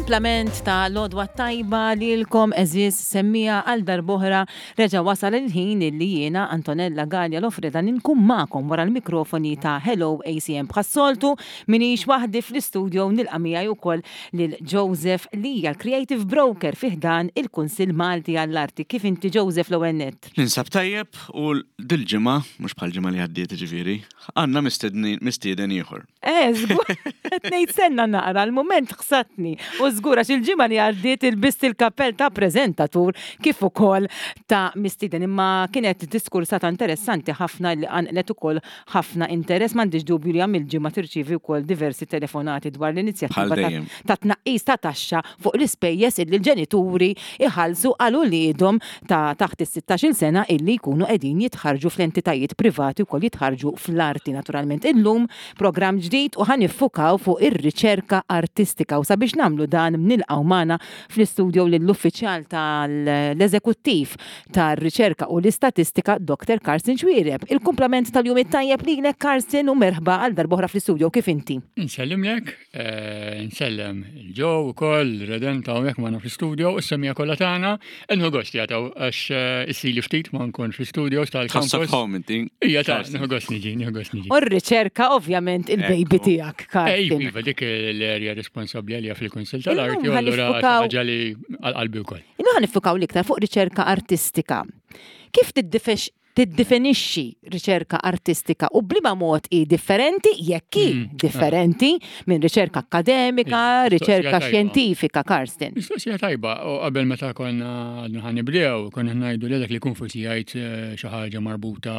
Il-kumplament ta' l-għodwa t-tajba lilkom għeżież semmiegħa għal darb'oħra reġa' wasal il-ħin illi jiena Antonella Galea Lofreda ninkun magħkom wara l-mikrofoni ta' Hello ACM. Bħas-soltu m'iniex waħdi fl-istudio nilqa' miegħi wkoll lil Joseph li hija l-Creative Broker fi ħdan il-Kunsill Malti għall-Arti. Kif inti Joseph l-ewwel nett? Ninsab tajjeb u dil-ġimgħa, mhux bħall-ġimgħa li għaddiet jiġifieri, għandna mistieden ieħor. Eh, żgur, qed ngħid senna naqra, l-mument ħsatni. U żgur għax il-ġimgħa li għaddiet ilbist il-kappell ta' preżentatur kif ukoll ta' mistieden. Imma kienet diskursata interessanti ħafna li qanqlet ukoll ħafna interess. M'għandix dubju li għam il-ġimgħa tirċievi wkoll diversi telefonati dwar l-inizjattiva ta' tnaqqis ta' taxxa fuq l-ispejjeż illi l-ġenituri jħallsu għal uliedhom ta' taħt is-sittax-il sena illi jkunu qegħdin jitħarrġu fl-entitajiet privati wkoll jitħarrġu fl-arti naturalment. Illum programm ġdid u ħa niffukaw fuq ir-riċerka artistika u sabiex nagħmlu dan nilqgħu magħna fl-istudio lill-uffiċjal tal-Eżekuttiv tar-Riċerka u l-Istatistika Dr. Karsten Xuereb. Il-kumplament tal-jum it-tajjeb lilek Karsten u merħba għal darb'oħra fl-istudio kif inti? Insellimlek. Eh, nsellem il-ġo u koll, redenta hawnhekk magħna fl-studio, u s-semija kollha tagħna, inħu gost jagħtaw għax eh, issili ftit ma nkun fl-studio tal-campus. Tħossok home inti. Ija ta' nieħu gost niġi, nieħu gost niġi. U r-riċerka ovvjament il-baby tiegħek, Karl. Iva, dik l-erja responsabbli għalija fil-Kunsill tal-Arti, allura ħaġa li għal-qalbi wkoll. Illum ħanifukaw l-iktar fuq riċerka artistika. Kif tiddifex tiddefinixxi riċerka artistika u b'liema mod hi differenti, jekk hi mm. differenti minn riċerka akkademika, riċerka xjentifika, Karsten. Mistoqsija tajba, u qabel meta konna għadna ħanibdew, konna ngħidu li dak li jkun forsi jgħid eh, xi ħaġa marbuta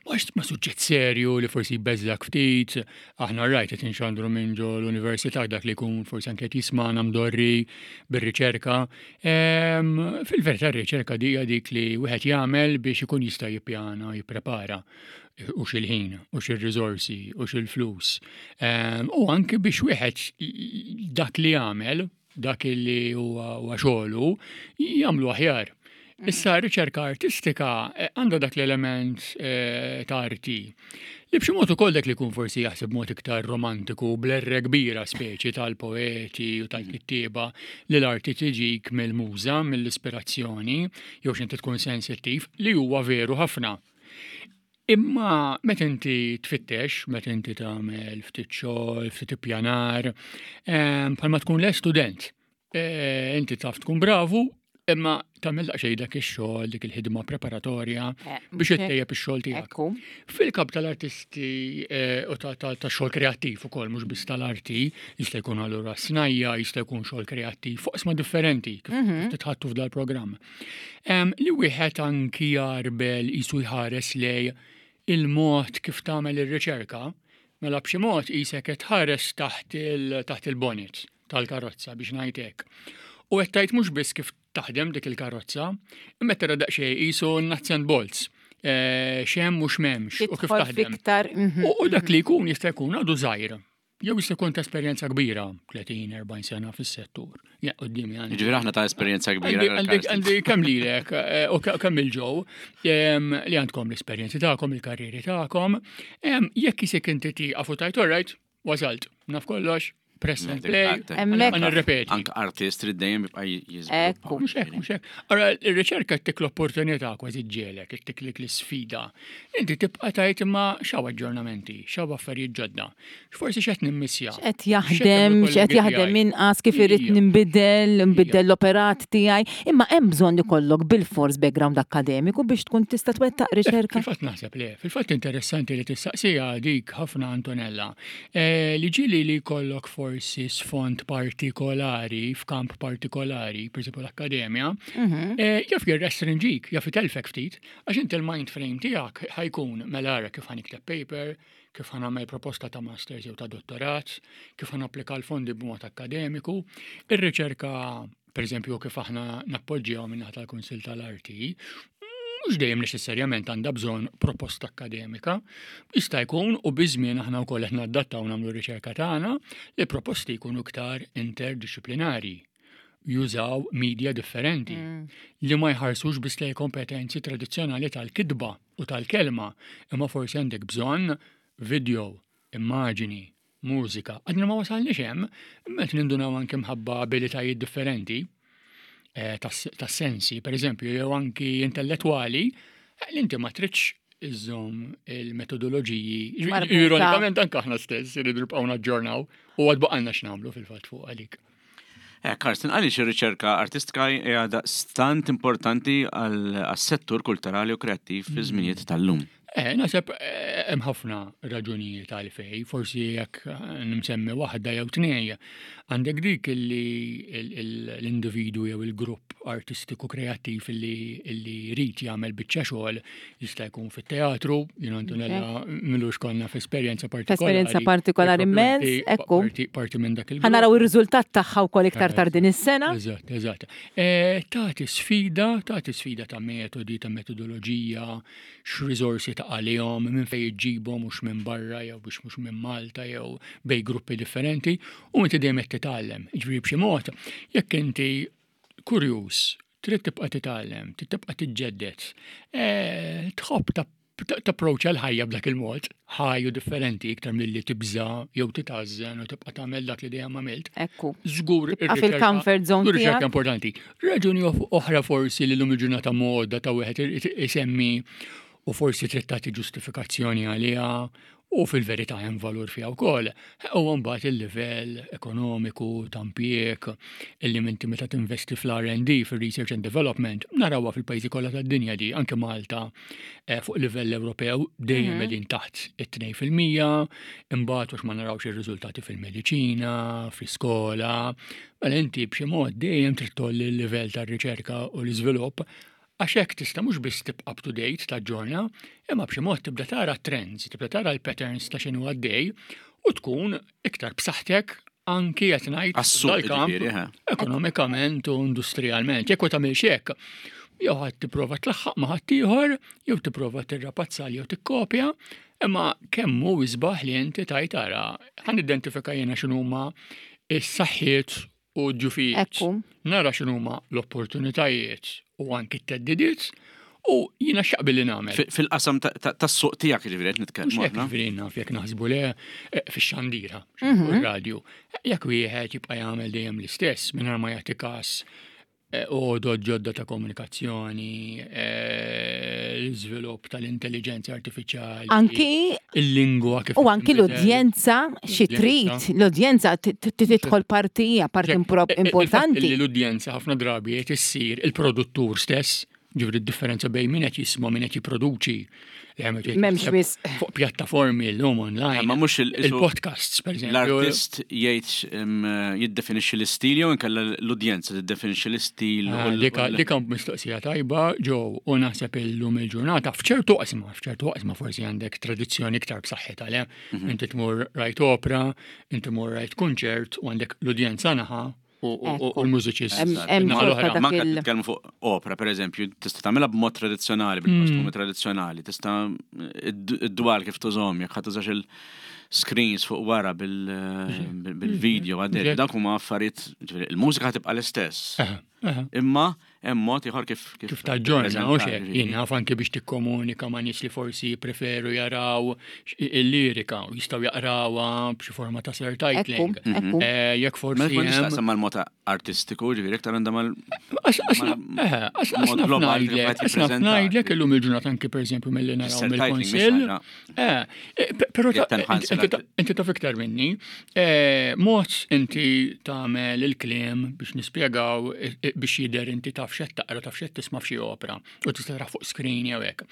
ma' suġġett serju li forsi jbeżżak ftit, aħna rajt qed inxandru minn ġo l-università dak li jkun forsi anke qed jismana mdorri bir-riċerka. Fil-verità r-riċerka di hija dik li wieħed jagħmel biex ikun jista' jippjana, jipprepara u xil-ħin, u xil-riżorsi, u xil-flus. U anke biex wieħed dak li jagħmel, dak li huwa xogħlu, jagħmlu aħjar. Issa r-riċerka artistika eh, għandha dak l-element eh, ta' arti li b'xi mod ukoll dak li jkun forsi jaħseb mod iktar romantiku bl-erre kbira speċi tal-poeti u tal-kittieba li l-arti tiġik mill-muża, mill-ispirazzjoni, jew x'inti tkun sensittiv, li huwa veru ħafna. Imma meta inti tfittex, meta inti tagħmel ftit xogħol, ftit ippjanar, eh, bħalma tkun le student, Eh, inti taf tkun bravu, imma tagħmel daqsxejn dak ix-xogħol, dik il-ħidma preparatorja eh, biex ittejjeb ix-xogħol tiegħek. Fil-kap tal-artisti eh, u ta' xogħol kreattiv ukoll mhux biss tal-arti, jista' jkun allura snajja, jista' jkun xogħol kreattiv fuq isma differenti kif mhm. titħattu f'dal-programm. Li wieħed anki jarbel jisu jħares lej il-mod kif tagħmel ir-riċerka, mela b'xi mod qisek qed tħares taħt il-bonnet tal-karozza biex ngħid hekk. U qed tgħid mhux biss kif taħdem dik il-karozza, imma tara daqsxejn qisu nuts and bolts. Eh, xem u x'memx u kif taħdem. Mhm. U dak li jkun jista' jkun għadu żgħir. Jew jista' jkun ta' esperjenza kbira, 30-40 sena fis-settur. Ja, qudiemi għandi. Ġifieri aħna ta' esperjenza kbira. Għandi kemm lilek eh, u kemm il-ġew li għandkom l-esperjenzi tagħkom, il-karrieri tagħkom. Jekk isek inti tieqaf u tajt alright, Wasalt, naf kollox, press and play, Hemmhekk. ma nirrepeti. Anke artist trid dejjem jibqa' jiżviluppa. Ekku. Mhux hekk, mhux hekk. Ara, ir-riċerka ttik l-opportunità kważi ġġiegħlek, ittik dik l-isfida. Inti tibqa' tgħid imma x'hawn aġġornamenti, x'hawn affarijiet ġodda. Forsi x'qed nimmissja. X'qed jaħdem, x'qed jaħdem inqas, kif irrid ninbidel, nbiddel l-operat tiegħi. Imma hemm bżonn ikollok bilfors background akkademiku biex tkun tista' twettaq riċerka? Fil-fatt naħseb le. Fil-fatt interessanti li tistaqsiha dik ħafna Antonella. Eh, li ġieli li jkollok forsi sfond partikolari f'kamp partikolari, per esempio l-akkademja, mhm. eh, jaf jirrestrinġik, jaf itelfek ftit, għax inti l-mind frame tiegħek ħajkun mela ara kif ħanikteb paper, kif ħanamel proposta ta' masters jew ta' dottorat, kif ħanapplika l-fondi b'mod akkademiku, ir-riċerka per eżempju kif aħna nappoġġjaw minnaħa tal-Kunsill tal-Arti, mhux dejjem neċessarjament għandha bżonn proposta akkademika. Jista' jkun u biż-żmien aħna wkoll qed nadattaw nagħmlu riċerka tagħna li proposti jkunu iktar interdixxiplinari jużaw media differenti mm. li ma jħarsux biss lej kompetenzi tradizzjonali tal-kitba u tal-kelma, imma forsi għandek bżonn video, immaġini, mużika. Għadna ma wasalniex hemm, imma qed nindunaw anke mħabba abilitajiet differenti eh, tas-sensi, per eżempju, jew anki intellettwali, eh, li inti ma tridx iżżomm il-metodoloġiji. Ironikament anke aħna stess irridu nibqgħu naġġornaw u għad baqalna x'nagħmlu fil-fatt fuq għalik. Eh, Karsten, għaliex ir-riċerka artistika hija daqstant importanti għas-settur kulturali u kreattiv fi żminijiet tal-lum? Eh, naħseb eh, hemm ħafna raġunijiet għalfej, forsi jekk eh, nimsemmi waħda jew tnej, għandek dik li l-individu jew il-grupp artistiku kreattiv li jrid jagħmel biċċa xogħol jista' jkun fit-teatru, jien Antonella milux konna f'esperjenza partikolari. Esperjenza partikolari immens, ekku. Parti minn dak il Ħanaraw ir-riżultat tagħha wkoll iktar tard din is-sena. Eżatt, eżatt. Tagħti sfida, tagħti sfida ta' metodi, ta' metodoloġija, x'riżorsi ta' għalihom, minn fejn iġġibhom mhux minn barra jew biex mhux minn Malta jew bej gruppi differenti u inti dejjem qed titgħallem. Jiġifieri b'xi mod, jekk inti kurjuż, trid tibqa' titgħallem, trid tibqa' tiġġedded, eh, tħobb tapproċċa l-ħajja b'dak il-mod, ħaj u differenti iktar milli tibża' jew titgħażżen u tibqa' tagħmel dak li dejjem għamilt. Ekku. Żgur fil-comfort zone. Riċerka importanti. Raġuni oħra forsi li l-lum il-ġurnata moda ta' wieħed isemmi u forsi trid tagħti ġustifikazzjoni għaliha u fil-verità hemm valur fiha wkoll. U mbagħad il-livell ekonomiku ta' impjieg illi inti meta tinvesti fl-R&D, fil-Research and Development, narawha fil-pajjiżi kollha tad-dinja di, anke Malta eh, fuq livell Ewropew dejjem mhm. qegħdin taħt it-2%, imbagħad għax ma narawx ir-riżultati fil-mediċina, fl-iskola, mela inti b'xi mod dejjem trid tolli l-livell tar-riċerka u l-iżvilupp għax hekk tista' mhux biss tibqa' up to date taġġorna, imma b'xi mod tibda tara trends, tibda tara l-patterns ta' x'inhu għaddej u tkun iktar b'saħħtek anki qed ngħid dal-kamp ekonomikament u industrialment. Jekk ma tagħmilx hekk, jew ħadd tipprova tlaħħaq ma' ħaddieħor, jew tipprova tirrapazzal jew tikkopja, imma kemm hu isbaħ li inti tajt ara, ħan identifika jiena x'inhuma is-saħħiet u d-djufijiet. Nara x'inhuma l-opportunitajiet u anki t-theddidiet u jiena x'jaqbil li nagħmel. Fil-qasam tas-suq tiegħek jiġifieri qed nitkellmu. Mhux hekk jiġifieri naf jekk naħsbu le eh, fix-xandira, mhm. radio Jekk wieħed jibqa' jagħmel dejjem l-istess mingħajr ma jagħti każ eh, għodod ġodda ta' komunikazzjoni, eh, l-iżvilupp tal-intelligenza artifiċjali. Anki il-lingwa kif. U anki l-udjenza xi trid, l-udjenza tidħol partija, parti importanti. L-udjenza ħafna drabi qed issir il-produttur stess Ġifieri d-differenza bejn min qed jisma' min qed jipproduċi. M'hemmx wisq. Fuq pjattaformi llum online. Ma mhux il-podcasts pereżempju. L-artist jgħid jiddefinixxi l-istil jew inkella l-udjenza tiddefinixxi l-istil. Ah, dika mistoqsija tajba ġew u naħseb illum il-ġurnata f'ċertu qasma, f'ċertu qasma forsi għandek tradizzjoni iktar b'saħħitha le. Mhm. Inti tmur rajt opera, inti tmur rajt kunċert u għandek l-udjenza naħa u l-mużiċist. Manka titkellmu fuq opera, per eżempju, tista' tagħmilha b'mod tradizzjonali, bil-kostumi mm. tradizzjonali, tista' id-dwal kif tużhom, jekk ħadd tużax il-screens fuq wara bil-video għaddej. Dak huma affarijiet, il-mużika tibqa' l-istess. Imma hemm mod ieħor kif kif taġġorna u xejn. Jien naf anke biex tikkomunika ma' nies li forsi jippreferu jaraw il-lirika u jistgħu jaqrawha b'xi forma ta' surtitling. Eh, jekk forsi. Ma nistaqsam mal-mod artistiku, ġifieri iktar għandha mal. Ngħidlek illum il-ġurnata anke pereżempju milli naraw mill-Kunsill. Eh, eh, però inti taf iktar minni, eh, mod inti tagħmel il-kliem biex nispjegaw eh, biex jidher inti taf xed taqra taf xed tisma' f'xi opera u tista' tara fuq screen jew hekk.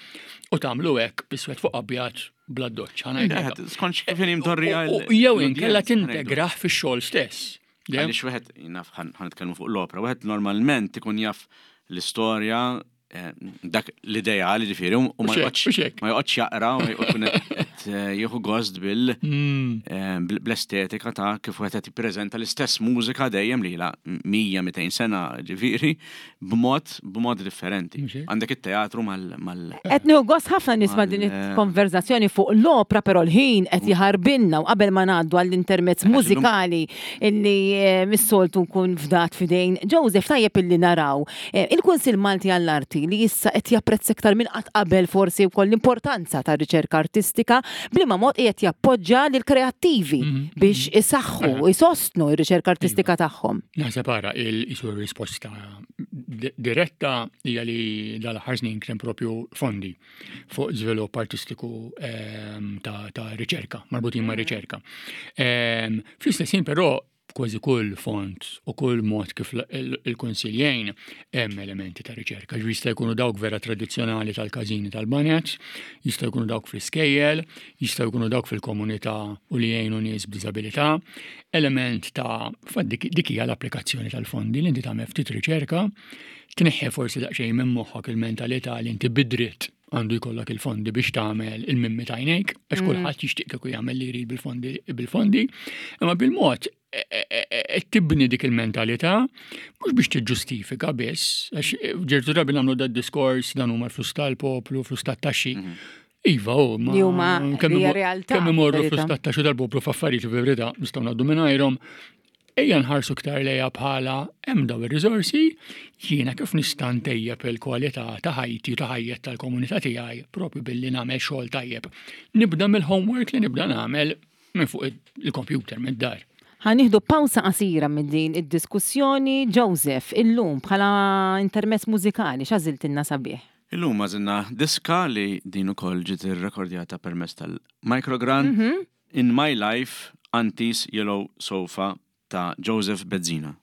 U tagħmlu hekk biswed fuq abjad bla doċċ. Skont kif imtorri Jew inkella tintegrah fix-xogħol stess. Għaliex wieħed naf ħan nitkellmu fuq l-opera, wieħed normalment ikun jaf l-istorja Eh, dak l-ideali ġifieri u ma joqgħodx jaqra u jkun qed eh, jieħu gost bil mm. eh, bl-estetika ta' kif wieħed qed jippreżenta l-istess mużika dejjem li la 100-200 sena ġifieri b'mod b'mod differenti. Għandek it-teatru mal Qed nieħu gost ħafna nisma' din il-konverzazzjoni fuq l-opra però l-ħin qed jaħarbinna u qabel ma ngħaddu għall-intermezz mużikali illi mis-soltu nkun fdat f'idejn Joseph tajjeb illi naraw Eh, il-Kunsill Malti għall-Arti li issa qed japprezza iktar minn qatt qabel forsi wkoll l-importanza tar-riċerka artistika. B'liema mod qiegħed jappoġġa lill-kreattivi mhm. biex isaħħu, isostnu r-riċerka artistika iva. tagħhom. Naħseb ara il-isu risposta diretta hija li dal-aħħar snin kien propju fondi fuq żvilupp artistiku ehm, ta' riċerka, marbutin ma' mhm. riċerka. Ehm, fl-istess ħin però kważi kull fond u kull mod kif il-Kunsill jgħin hemm elementi ta' riċerka. Ġifieri jista' jkunu dawk vera tradizzjonali tal-każini tal-baned, jista' jkunu dawk fl-iskejjel, jista' jkunu dawk fil-komunità u li jgħinu nies b'diżabilità. Element ta' dik hija l-applikazzjoni tal-fondi li inti tagħmel ftit riċerka, tneħħi forsi daqsxejn minn moħħok il-mentalità li inti bidritt għandu jkollok il-fondi biex tagħmel il-mimmi tajnejk, għax mm. kulħadd jixtieq kieku jagħmel li jrid bil-fondi bil-fondi, imma bil-mod e, e, e, tibni dik il-mentalità mhux biex tiġġustifika biss, għax ġertu drabi nagħmlu dad diskors dan huma l-flus tal-poplu, flus tat-taxxi. Mm. Iva, oh, ma kemm imorru flus tat-taxxi tal-poplu f'affarijiet verità nistgħu ngħaddu mingħajrhom, Ejja nħarsu iktar lejha bħala hemm daw ir-riżorsi, jiena kif nista' ntejjeb il-kwalità ta' ħajti u ta' ħajjet tal-komunità tiegħi propju billi nagħmel xogħol tajjeb. Nibda mill-homework li nibda nagħmel minn fuq il-computer mid-dar. Ħa nieħdu pawsa qasira minn din id-diskussjoni. Joseph, illum bħala intermezz mużikali x'għażiltilna sabiħ? Illum għażilna diska li din ukoll ġiet irrekordjata permezz tal-microgrant. In My Life, Auntie's Yellow Sofa ta' Joseph Bezzina.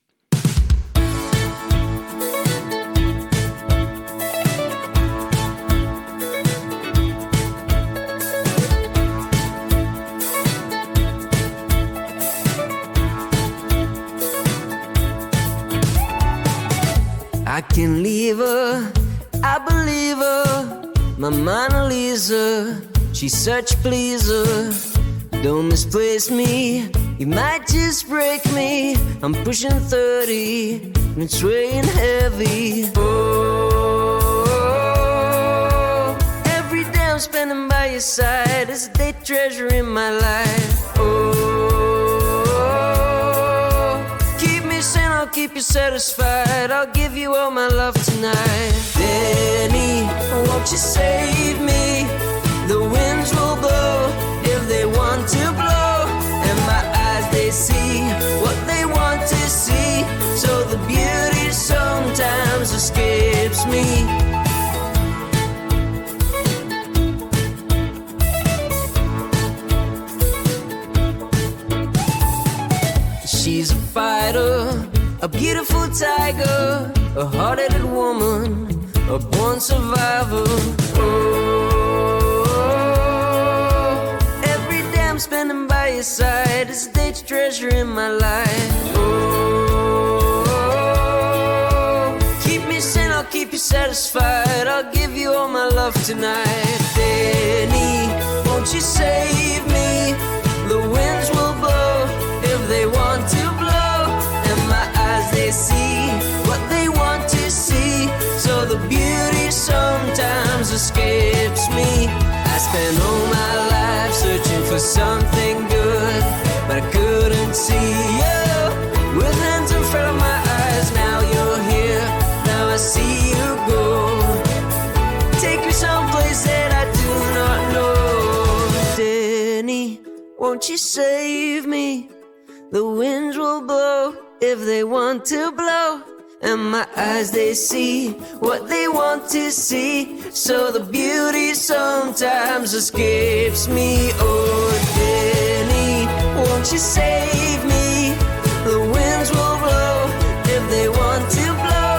I can leave her, I believe her, my Mona Lisa, she's such a pleaser. Don't misplace me, you might just break me. I'm pushing 30, and it's weighing heavy. Oh, every day I'm spending by your side is a day treasure in my life. Oh, keep me sane, I'll keep you satisfied. I'll give you all my love tonight. Danny, won't you save me? The winds will blow if they want to blow. And my eyes, they see what they want to see. So the beauty sometimes escapes me. She's a fighter, a beautiful tiger, a hard-headed woman, a born survivor. Oh, every day I'm spending by your side is a day to treasure in my life. Oh, keep me sane, I'll keep you satisfied. I'll give you all my love tonight. Danny, won't you save me? The winds will blow if they want to blow. And my eyes, they see what they want to see. So the beauty sometimes escapes me. I spent all my life searching for something good, but I couldn't see you. With hands in front of my eyes, now you're here. Now I see you go. Take me someplace that I do not know. Danny, won't you save me? The winds will blow if they want to blow. And my eyes, they see what they want to see. So the beauty sometimes escapes me. Oh, Danny, won't you save me? The winds will blow if they want to blow.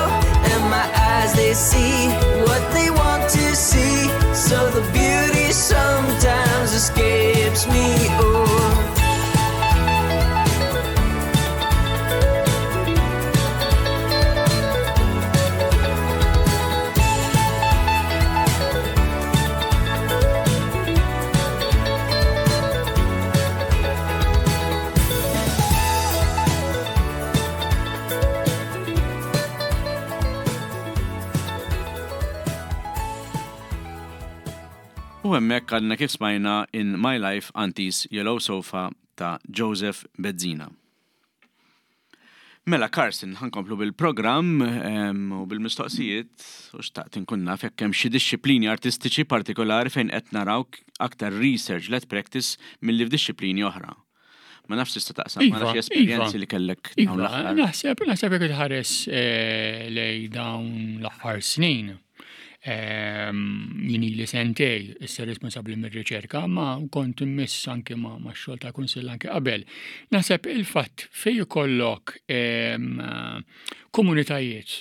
And my eyes, they see what they want to see. So the beauty sometimes escapes me. Oh. U hemmhekk għadna kif smajna In My Life Auntie's Yellow Sofa ta' Joseph Bezzina. Mela Carson, ħa nkomplu bil-programm u bil-mistoqsijiet u xtaqt inkun naf jekk hemm xi dixxiplini artistiċi partikolari fejn qed naraw aktar research led practice milli f'dixxiplini oħra. Ma nafx tista' taqsam ma nafx esperjenzi li kellek dawn iva, l-aħħar. Naħseb, naħseb jekk tħares eh, lej dawn l-aħħar snin. Ehm, jien ili sentej issa responsabbli mir-riċerka, ma kont immiss anke ma' xogħol ta' kunsill anke qabel. Naħseb il-fatt fej ikollok ehm, komunitajiet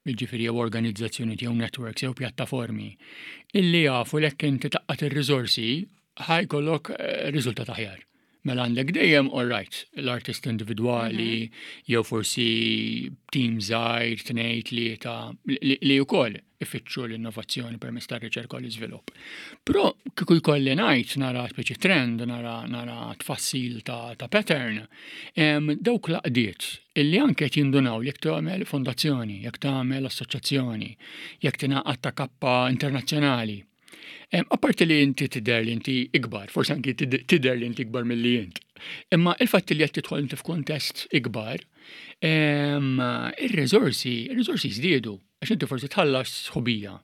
jiġifieri jew organizzazzjonijiet jew networks jew pjattaformi illi jafu lek inti taqqat ir-riżorsi ħajkollok eh, riżultat aħjar. Mela għandek dejjem all right, l-artist individwali, mhm. jew forsi team żgħir, tnejn, tlieta, li wkoll ifittxu l-innovazzjoni permezz tar-riċerka u l-iżvilupp. Però kieku jkolli ngħid nara speċi trend, nara nara tfassil ta', ta pattern, dawk l-aqdiet illi anke qed jindunaw jekk tagħmel fondazzjoni, jekk tagħmel assoċjazzjoni, jekk tingħaqad ta' kappa internazzjonali, Apparti li inti tidher li inti ikbar, forsi anki tidher li inti ikbar milli int. Imma il-fatt li qed tidħol inti f'kuntest ikbar, ir-riżorsi, ir-riżorsi żdiedu, għax inti forsi tħallas sħubija,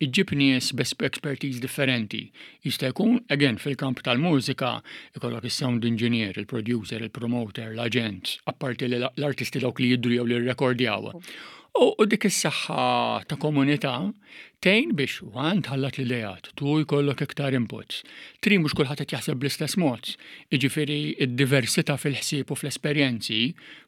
iġġib nies b'expertise differenti. Jista' jkun, again, fil-kamp tal-mużika, ikollok is-sound engineer, il-producer, il-promoter, l-aġent, apparti li l-artisti dawk li jidhru jew li rrekordjaw. U dik is-saħħa ta' komunità Tgħin biex, one, tħallat l-ideat, two, jkollok iktar inputs, three, mhux kulħadd qed jaħseb bl-istess mod, jiġifieri d-diversità fil-ħsieb u fl-esperjenzi,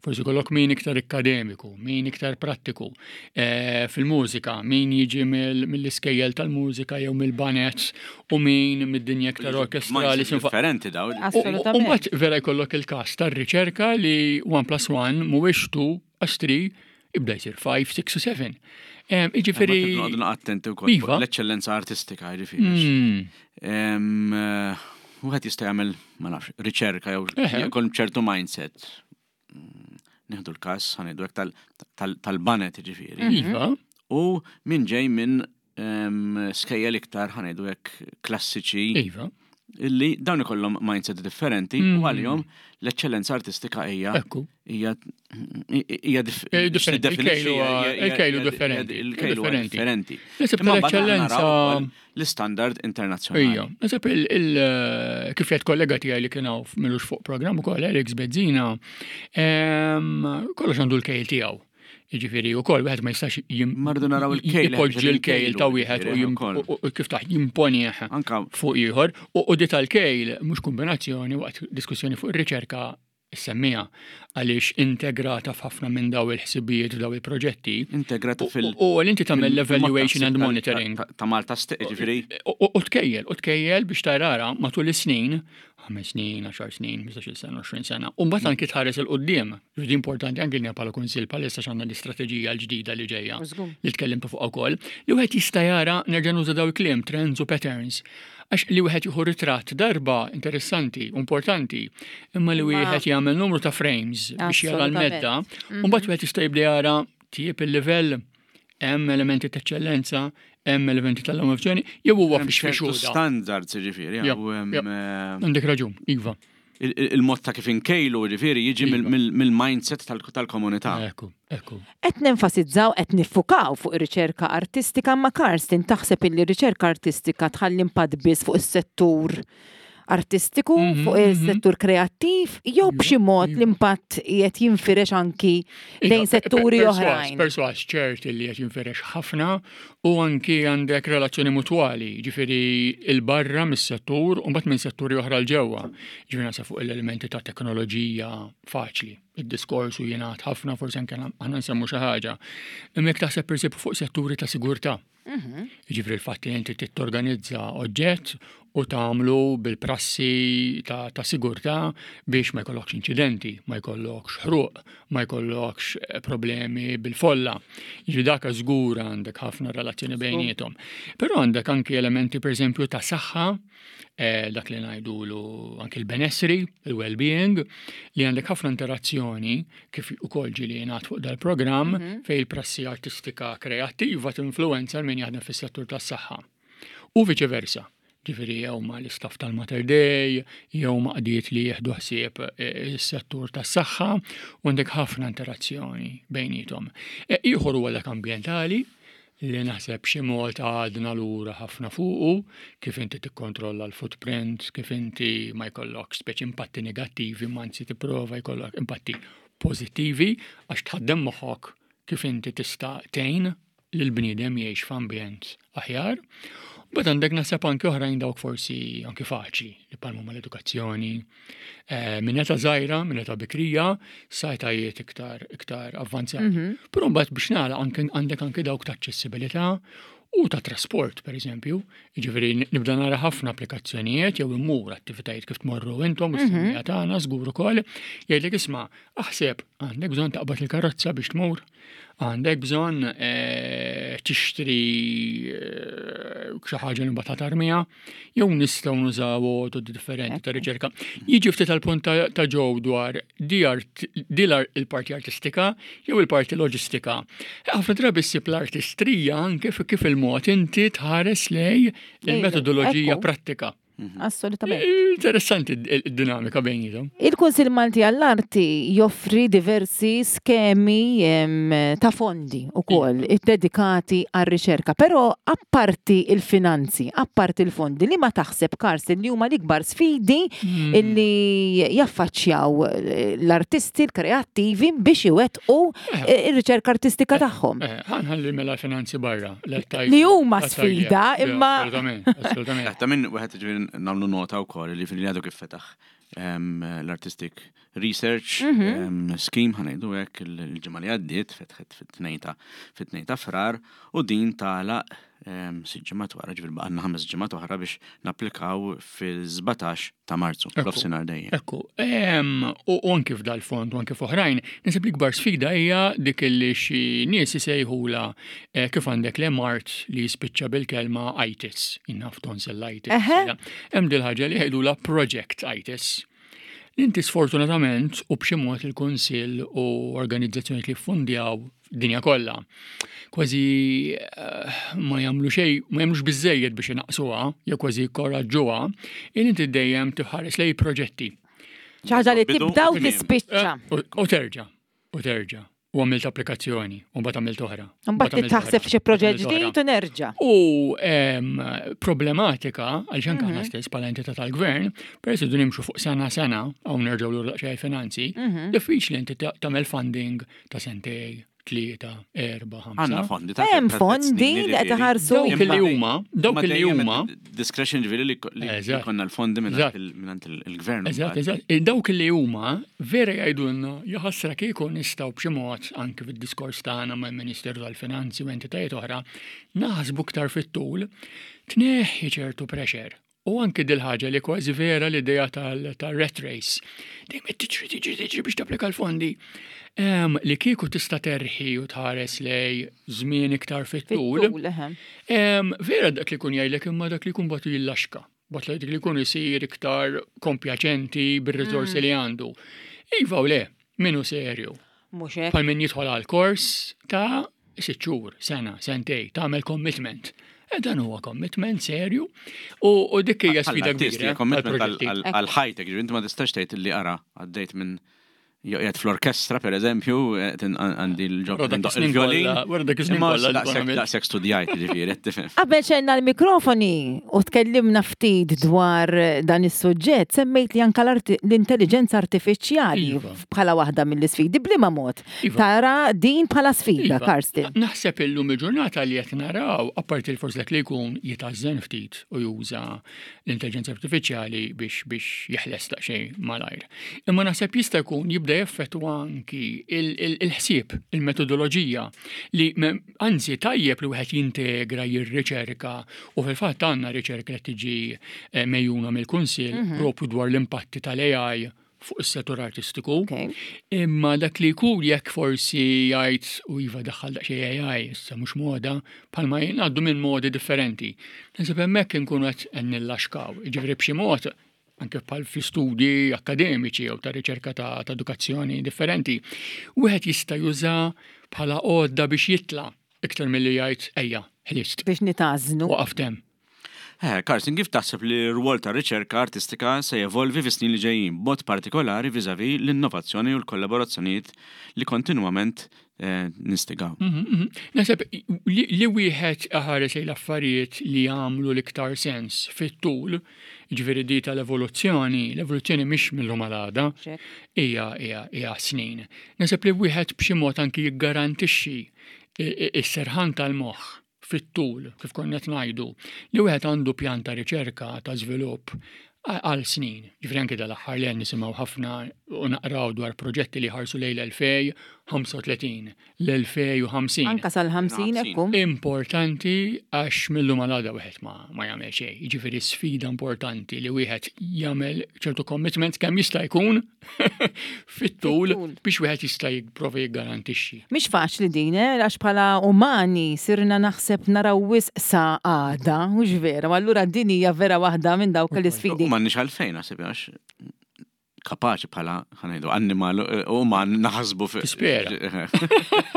forsi jkollok min iktar ikkademiku, min iktar prattiku eh, fil-mużika, min jiġi mill-iskejjel tal-mużika jew mill-banets u min mid-dinja iktar orkestrali. Differenti daw. U mbagħad vera jkollok il-każ tar-riċerka li 1 plus 1 mhuwiex 2 għax 3 ibda jsir 5, 6 u 7. Iġifiri. Għadna attenti wkoll iva. l-eċċellenza artistika, jiġifieri. Hmm. Eh, wieħed jista' jagħmel, ma nafx, riċerka jew jkun ċertu mindset. Mm, nieħdu l-każ, ħanidu hekk tal-banet jiġifieri. Mhm. Iva. U min ġej minn skejjel iktar ħanejdu hekk klassiċi. Iva. Illi dawn ikollhom mindset differenti u mm. għalihom l-eċċellenza artistika hija Ekku. hija hija eh, differenti. Il-kejlu differenti. Il-kejlu differenti. L-eċċellenza l-istandard internazzjonali. Ija, nasib il eh, kif jgħid kollega tiegħi li kien hawn milux fuq programm ukoll Alex Bezzina, kollox għandu l-kejl tiegħu. Jiġifieri wkoll wieħed ma jistax Mardu naraw il-kejl. Ipoġġi l-kejl ta' wieħed u kif taħ jimponih fuq ieħor. U di tal-kejl mhux kombinazzjoni waqt diskussjoni fuq ir-riċerka semmija għaliex integrata f'ħafna minn daw il-ħsibijiet f'daw il-proġetti. Integrata fil- U l inti tagħmel l-evaluation and monitoring. Ta' Malta ġifieri. U tkejjel, u tkejjel biex tarara matul is-snin ħames snin, għaxar snin, 15-il sena, 20 sena. U mbagħad anki tħares il quddiem Ġudi importanti anki li bħala kunsill bħalissa x'għandna l-istrateġija l-ġdida li ġejja li tkellimtu fuq ukoll, li wieħed jista' jara nerġa' nuża daw il-kliem trends u patterns. Għax li wieħed jieħu ritratt darba interessanti, importanti, imma li wieħed jagħmel numru ta' frames biex jara l-medda, u mbagħad wieħed jista' jibda jara tjieb il-livell hemm elementi ta' eċċellenza, hemm elementi tal-innovazzjoni, jew huwa fix fix Standards ġifieri. Eh, Għandek raġun, iva. Il-mod ta' kif inkejlu ġifieri jiġi iva. mill-mindset tal-komunità. Ekku, ekku. Qed nenfasizzaw qed niffukaw fuq ir-riċerka artistika ma Karsten taħseb illi r-riċerka artistika tħalli impatt biss fuq is-settur artistiku, mhm, fuq mhm. is-settur kreattiv, jew b'xi mod l-impatt qed jinfirex anki lejn setturi oħrajn. Persważ ċert li qed jinfirex ħafna u anki għandek relazzjoni mutwali, ġifieri il-barra mis-settur u mbagħad minn setturi oħra l ġewwa. Ġifieri naħseb fuq l-elementi ta' teknoloġija faċli. Id-diskors u jingħad ħafna forsi anke aħna nsemmu xi ħaġa. Imma jekk taħseb persib fuq setturi ta' sigurtà. Mhm. Jiġifieri l-fatt li inti torganizza oġġett u tagħmlu bil-prassi ta', ta sigurtà biex ma jkollokx inċidenti, ma jkollokx ħruq, ma jkollokx eh, problemi bil-folla. Jiġifieri dak żgur għandek ħafna relazzjoni bejniethom. Però għandek anki elementi pereżempju ta' saħħa eh, dak li ngħidulu anki l-benessri, il-well-being, li għandek ħafna interazzjoni kif ukoll ġieli jingħad fuq dal-programm mm -hmm. fejn il-prassi artistika kreattiva tinfluwenza min jaħdem fis-settur tas-saħħa. U viċi versa. Ġifieri jew ma' l-istaff tal-Mater Dei, jew ma' qdiet li jieħdu ħsieb eh, is-settur tas-saħħa, u għandek ħafna interazzjoni bejnietom. E, ieħor huwa dak ambjentali, li naħseb b'xi mod għadna lura ħafna fuqu, kif inti tikkontrolla l-footprint, kif inti ma jkollok speċi impatti negattivi, ma anzi tipprova jkollok impatti pożittivi għax tħaddem moħħok kif inti tista' tgħin lill-bniedem jgħix f'ambjent aħjar. But għandek naħseb anke oħrajn dawk forsi anke faċli li palmu mal-edukazzjoni. Eh, minn età żgħira, minn età bikrija, sa etajiet iktar iktar avvanzati. Mhm. Però mbagħad biex nagħlaq għandek anke dawk ta' aċċessibilità u ta' trasport, per eżempju. Jiġifieri nibda nara ħafna applikazzjonijiet jew immur attivitajiet kif tmorru intom u s-semija mhm. tagħna żgur ukoll jgħidlek isma' aħseb għandek bżonn taqbad il-karozza biex tmur Għandek bżonn eh, tixtri eh, xi ħaġa li mbagħad tarmiha, jew nistgħu nużaw għodod differenti ta' riċerka. Jiġi ftit tal-punt ta' ġew dwar di il-parti artistika jew il-parti loġistika. Ħafna drabi ssib l-artistrija anke kif il-mod inti tħares lej il-metodoloġija prattika. Mhm. Assolutament. Interessanti id-dinamika bejnietom. Il-Kunsil Malti għall-Arti joffri diversi skemi ta' fondi ukoll iva. dedikati għar-riċerka, però apparti il-finanzi, apparti il-fondi, li ma taħseb Karsten li huma l-ikbar sfidi hmm. li jaffaċċjaw l-artisti, l-kreattivi biex iwettqu eh. ir-riċerka artistika eh, tagħhom. Eh, ħanħalli mela finanzi barra. Li huma sfida imma. Assolutament, assolutament. Ta' minn wieħed ġifieri nagħmlu nota wkoll li fil għadu kif fetaħ ehm, l-Artistic Research mhm. ehm, Scheme ħanejdu hekk il-ġimgħa li għaddiet fetħet fit-tnejn ta' frar u din tagħlaq ehm, sitt ġimgħat wara ġifieri baqgħna ħames ġimgħat oħra biex napplikaw fil-17 ta' Marzu, f'nofsinhar dejjem. Ekku, u anki f'dal-fond u anki f'oħrajn, nisib l-ikbar sfida hija dik li xi nies isejħula eh, kif għandek le mart li jispiċċa bil-kelma itis, innaf tonsellitis. Hemm dil ħaġa li jgħidula project itis. Inti sfortunatament u b'xi mod il-Kunsill u organizzazzjonijiet li ffundjaw dinja kollha kważi eh, ma jagħmlu xejn, ma jagħmlux biżejjed biex inaqsuha jew kważi jkoraġġuha, il inti dejjem tħares lej proġetti. Xi ħaġa li tibda u tispiċċa. Eh, u terġa' u terġa' u għamilt applikazzjoni, u mbagħad għamilt oħra. Mbagħad taħseb xi proġett ġdid u nerġa'. U problematika għaliex anke aħna mhm. stess bħala entità tal-gvern, peress li nimxu fuq sena sena hawn nerġgħu lura daqsxejn finanzi, mhm. diffiċli inti tagħmel funding ta' sentej, tlieta, erba, ħamsa. Għandna fondi ta' Hemm fondi li qed iħarsu. Dawk li huma, dawk li huma. Discretion ġifieri li konna l-fondi minn il-gvern. Eżatt, eżatt. E dawk li huma vera jgħidulna jaħasra kieku nistgħu b'xi mod anke fid-diskors tagħna mal-Ministeru tal-Finanzi u entitajiet oħra naħsbu iktar fit-tul tneħħi ċertu pressure U anki dil-ħaġa li kważi vera l-idea tal-rat race. Dejjem qed tiġri tiġri tiġri biex tapplika l-fondi. Li kieku tista' terħi u tħares lej żmien iktar fit-tul. Vera dak li jkun jgħidlek imma dak li jkun batu jillaxka. Bat dak li jkun isir iktar kompjaċenti bir-riżorsi mm. li għandu. Iva u le, minu serju. Mhux hekk. Bħal min jidħol għal kors ta' sitt xhur, sena, sentej, tagħmel commitment. E dan huwa commitment serju u dik hija sfida kbira. Commitment għal ħajtek, ġifieri inti ma tistax tgħid li ara għaddejt minn joqgħod fl-orkestra per eżempju, għandi l-ġob il-violin. Wara dak iż-żmien kollha. Daqshekk studjajt ġifieri, tifhem. Qabel xejna l-mikrofoni u tkellimna ftit dwar dan is-suġġett, semmejt li anke l-intelligenza artifiċjali iva. bħala waħda mill-isfidi. B'liema mod iva. tara din bħala sfida, iva. Karsten? Naħseb illum il-ġurnata li qed naraw, apparti l-forsi dak li jkun jitażżen ftit u juża l-intelligenza artifiċjali biex biex jeħles daqsxejn malajr. Imma naħseb jista' jkun jibda jeffettwa anki il-ħsieb, il-metodoloġija li anzi tajjeb li wieħed jintegra, jirriċerka u fil-fatt għandna riċerka li tiġi eh, mejjuna mill-Kunsill mhm. propju dwar l-impatti tal-AI fuq is-settur artistiku. Imma dak li jkun jekk forsi jgħid u iva daħħal daqsxejn AI issa mhux moda, bħalma jingħaddu minn modi differenti. Naħseb hemmhekk inkunu qed nillaxkaw. Jiġifieri b'xi mod anke bħal fl-istudji akkademiċi jew ta' riċerka ta' edukazzjoni differenti, wieħed jista' juża bħala għodda biex jitla' iktar milli jgħid ejja, ħlist. Biex nitażnu. Waqaft hemm. Eh, Carson, kif taħseb li r-rwol tar-riċerka artistika se jevolvi fis-snin li ġejjin, b'mod partikolari vis-à-vis l-innovazzjoni u l-kollaborazzjonijiet li kontinwament eh, nistigaw? Mhm, mhm. Naħseb li wieħed iħares lejn l-affarijiet li jagħmlu l-iktar sens fit-tul, jiġifieri di tal-evoluzzjoni, l-evoluzzjoni mhix mill-lum għal għada, hija hija snin. Naħseb li wieħed b'xi mod anki jiggarantixxi is-serħan tal-moħħ fit-tul, kif konna qed ngħidu, li wieħed għandu pjan ta' riċerka ta' żvilupp għal snin. Ġifieri anke dal-aħħar li nisimgħu ħafna u naqraw dwar proġetti li ħarsu lejn l-2035, l-2050. Anka sal-50 ekku. Importanti għax mill-lum għal għada wieħed ma, ma jagħmel xejn. Jiġifieri sfida importanti li wieħed jagħmel ċertu commitment kemm jista' jkun fit-tul biex wieħed jista' jipprova jiggarantixxi. Mhix faċli din, eh, għax bħala umani sirna naħseb naraw wisq sa għada, mhux vera, u allura din hija vera waħda minn dawk l-isfidi. U m'għandniex għalfejn naħseb għax kapaċi bħala ħanejdu annimal eh, uman naħsbu fi. Tispera.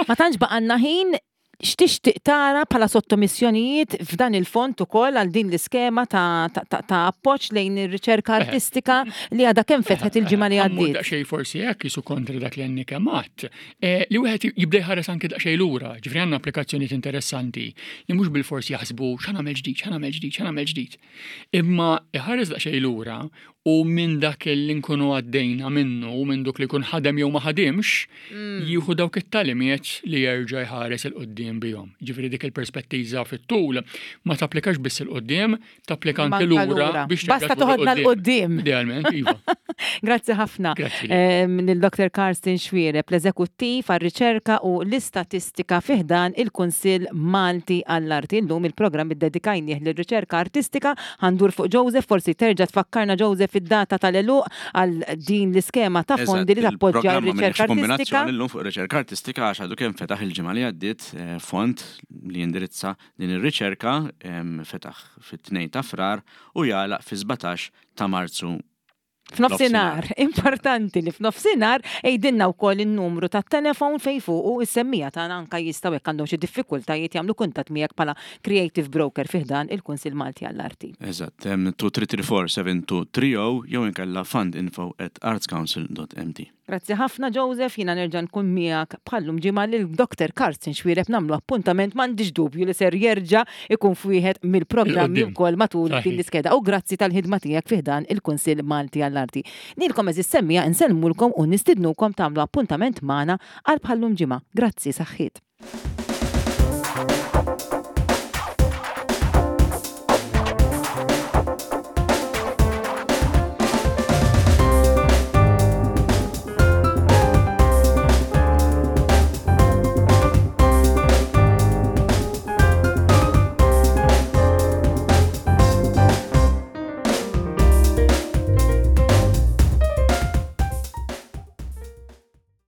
Ma tantx baqanna ħin X'tixtieq tara bħala sottomissjonijiet f'dan il-fond ukoll għal din l-iskema ta' ta' appoġġ lejn ir-riċerka artistika li għadha kemm fetħet il-ġimgħa li għaddiet? Daqsxejn forsi hekk jisu kontra dak li għandni kemm għadt. Eh, li wieħed jibda jħares anke daqsxejn lura, ġifri għandna applikazzjonijiet interessanti li mhux bilfors jaħsbu x'għamel ġdid, x'għamel ġdid, x'għamel ġdid. Imma iħares daqsxejn lura u minn dak li nkunu għaddejna minnu u minn dok li jkun ħadem jew ma ħadimx, mm. jieħu dawk it-talimiet li jerġa' jħares il-qoddim bihom. Ġifieri dik il-perspettiva fit-tul ma tapplikax biss il-qoddim, tapplika anke lura biex Basta toħodna l-qoddim. Idealment, iva. Grazzi ħafna lil Dr. Karsten Xwiereb, l-Eżekuttiv għar-Riċerka u l-Istatistika fi ħdan il-Kunsill Malti għall-Arti. Illum il-programm iddedikajnieh lir-riċerka artistika. Ħa ndur fuq Joseph, forsi terġa' tfakkarna Joseph id-data tal-għeluq għal din l-iskema ta' fondi li tappoġġja r-riċerka artistika. Kombinazzjoni llum fuq ir-riċerka artistika għax għadu kemm fetaħ il-ġimgħa li għaddiet eh, fond li jindirizza din ir-riċerka fetaħ fit-2 ta' Frar u jagħlaq fi-17 ta' Marzu F'nofsinhar, importanti li f'nofsinhar għidilna wkoll in-numru tat-telefon fejn fuqu is-semmiegħa tagħna anke jistgħu jekk għandhom xi diffikultajiet jagħmlu kuntatt miegħek bħala Creative Broker fi ħdan il-Kunsill Malti għall-Arti. Eżatt, 2334 7230 jew inkella fundinfo at artscouncil.mt. Grazzi ħafna Joseph, jiena nerġa' nkun miegħek bħal-lum ġimgħa lil Doctor Karsten Xuereb nagħmlu appuntament m'għandix dubju li ser jerġa' ikun f'wieħed mill-programmi wkoll matul din l-iskeda u grazzi tal-ħidma tiegħek fi ħdan il-Kunsill Malti għall-Arti. Lilkom għeżież semmiegħa insellmulkom u nistidnukom tagħmlu appuntament magħna għal bħal-lum ġimgħa. Grazzi, saħħiet.